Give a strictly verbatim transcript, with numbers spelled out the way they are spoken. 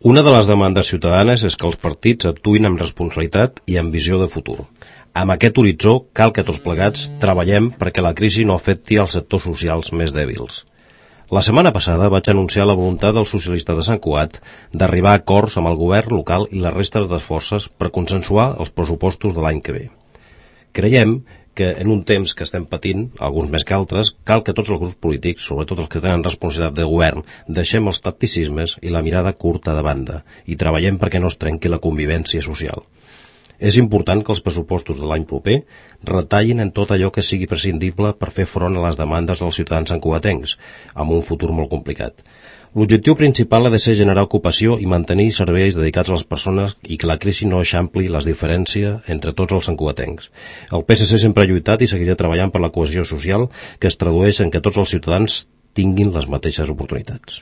Una de les demandes ciutadanes és que els partits actuïn amb responsabilitat i amb visió de futur. Amb aquest horitzó cal que tots plegats treballem perquè la crisi no afecti els sectors socials més dèbils. La setmana passada vaig anunciar la voluntat dels socialistes de Sant Cugat d'arribar a acords amb el govern local i les restes de forces per consensuar els pressupostos de l'any que ve. Creiem que en un temps que estem patint, alguns més que altres, cal que tots els grups polítics, sobretot els que tenen responsabilitat de govern, deixem els tacticismes i la mirada curta de banda i treballem perquè no es trenqui la convivència social. És important que els pressupostos de l'any proper retallin en tot allò que sigui prescindible per fer front a les demandes dels ciutadans santcugatencs, amb un futur molt complicat. L'objectiu principal ha de ser generar ocupació i mantenir serveis dedicats a les persones i que la crisi no eixampli les diferències entre tots els santcugatencs. El P S C sempre ha lluitat i seguirà treballant per la cohesió social que es tradueix en que tots els ciutadans tinguin les mateixes oportunitats.